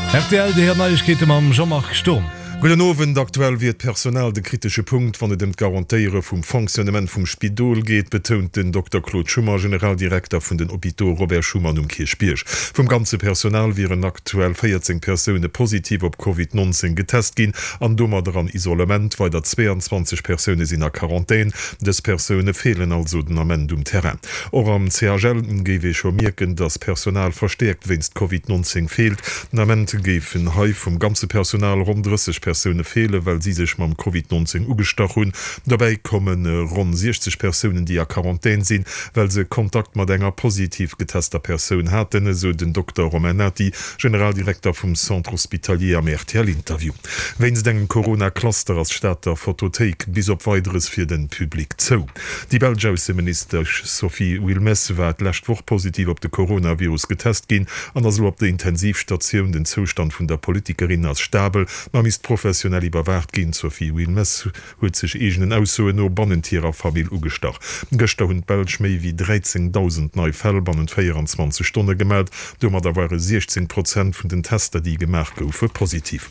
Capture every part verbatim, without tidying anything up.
Rtl, Déi Neiegkeete mam Jean-Marc Sturm. Gudden Owend. Aktuell wier d'Personal de kritesche Punkt, wann et ëm d'Garantéiere vum Fonctionnement vum Spidol geet, betount den Dokter Claude Schummer, Generaldirekter vun den Hôpitaux Robert Schuman um Kierchbierg. Vum ganze Personal wieren aktuell véierzéng Persoune positiv op Covid nonzéng getest ginn an domadder an Isolement. Weider zweeanzwanzeg Persoune sinn a Quarantän. Dës Persoune feelen also den Ament um Terrain. Och am C H L géif ee scho mierken, datt Personal verstäerkt wéinst Covid nonzéng feelt. Den Ament géifen hei vum ganze Personal ronn drësseg Persoune feelen, well si sech mam Covid nonzéng ugestach hunn. Dobäi komme ronn siechzeg Persounen, déi a Quarantän sinn, well se Kontakt mat enger positiv getester Persoun haten, esou den Dokter Romain Nati, Generaldirekter vum Centre Hospitalier am R T L-Interview. Wéinst engem Corona-Cluster ass d'Stater Fotothéik bis op Weideres fir de Public zou. Déi belsch Ausseministesch Sophie Wilmès war d'lescht Woch positiv op de Coronavirus getest ginn an ass elo op der Intensivstatioun. Den Zoustand vun der Politikerin ass stabel, ma misst professionell iwwerwaacht ginn. D'Sophie Wilmès huet sech eegenen Aussoen no bannent hirer Famill ugestach. Gëschter hunn d'Belsch méi wéi dräizéngdausend nei Fäll bannent véieranzwanzeg Stonne gemellt. Domadder ware siechzéng Prozent vun den Tester, déi gemaach goufe, positiv.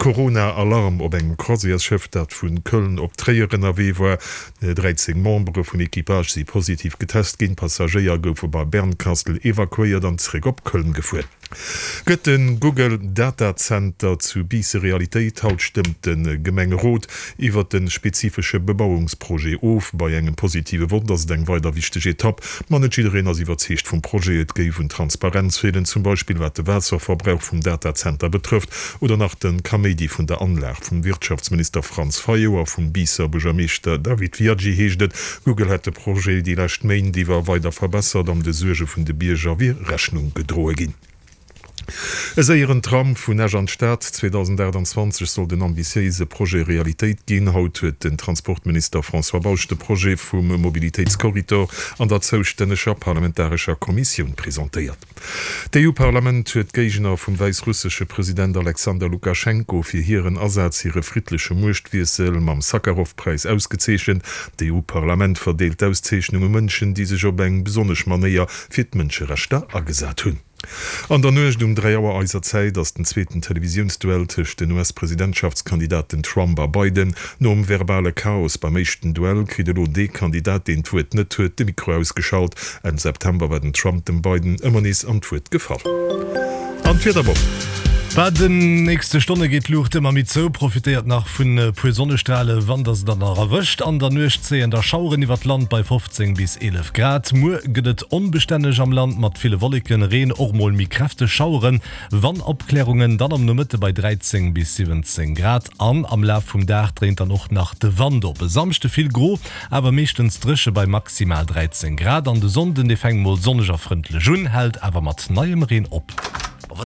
Corona-Alarm op engem Croisièresschëff, dat vu Köln op Tréier ënnerwee war. dräizéng Membere vum Equipage si positiv getest ginn. Passagéier goufe bei Bernkastel evakuéiert an zeréck op Köln gefuer. Gëtt de Google Datazenter zu Biisse Realitéit? Haut stëmmt de Gemengerot iwwert de spezifesche Bebauungsprojet of. Bei engem positive Vott ass et eng weider wichteg Etapp. Ma net jiddereen ass iwwerzeegt vum Projet. Et géif un Transparenz feelen, zum Beispill wat de Waasserverbrauch vum Datazenter betrëfft oder nach de Kaméidi vun der Anlag. Vum Wirtschaftsminister Franz Fayot a vum Biisser Buergermeeschter David Viaggi heescht et, Google hätt de Projet déi lescht Méint iwwer weider verbessert an de Suerge vun de Bierger wier Rechnung gedroe ginn. E séieren Tram vun Esch an d'Stad, zweedausendaachtanzwanzeg soll den ambitiéise Projet Realitéit ginn. Haut huet den Transportminister François Bausch de Projet vum Mobilitéitskorridor an der zoustänneger parlamentarescher Kommissioun presentéiert. D'E U-Parlament huet d'Géigner vum wäissrussesche President Alexander Lukaschenko fir hiren Asaz fir e friddleche Muechtwiessel mam Sakharov-Präis ausgezeechent. D'E U-Parlament verdeelt d'Auszeechnung u Mënschen, déi sech op eng besonnesch Manéier fir d'Mënscherechter agesat hunn. An der Nuecht um dräi Auer eiser Zäit ass den zweeten Televisiounsduell tëscht den U S-Presidentschaftskandidaten Trump a Biden. Nom verbale Chaos beim éischten Duell kritt elo dee Kandidat, deen d'Wuert net huet, de Mikro ausgeschalt. Enn September war den Trump dem Biden ëmmer nees an d'Wuert gefall. An d'Wiederwoch. Bei den nächste Stonne geet d'Luucht ëmmer méi zou, profitéiert nach vun e puer Sonnestrale wann der se dann nach erwëscht. An der Nuecht zéien da Schaueren iwwert d'Land bei fofzéng bis eelef Grad. Muer gëtt et onbestänneg am Land mat ville Wolleken, Reen, och mol méi kräfteg Schaueren. Wann Opklärungen, dann am Nomëtte bei dräizéng bis siwwenzéng Grad. An am Laf vum Dag dréint dann och nach de Wand op. E Samschde vill gro, awer meeschtens dréche bei maximal dräizéng Grad. An de Sonnden, dee fänkt mol sonneg a frëndlech un, hält awer mat neiem Reen op.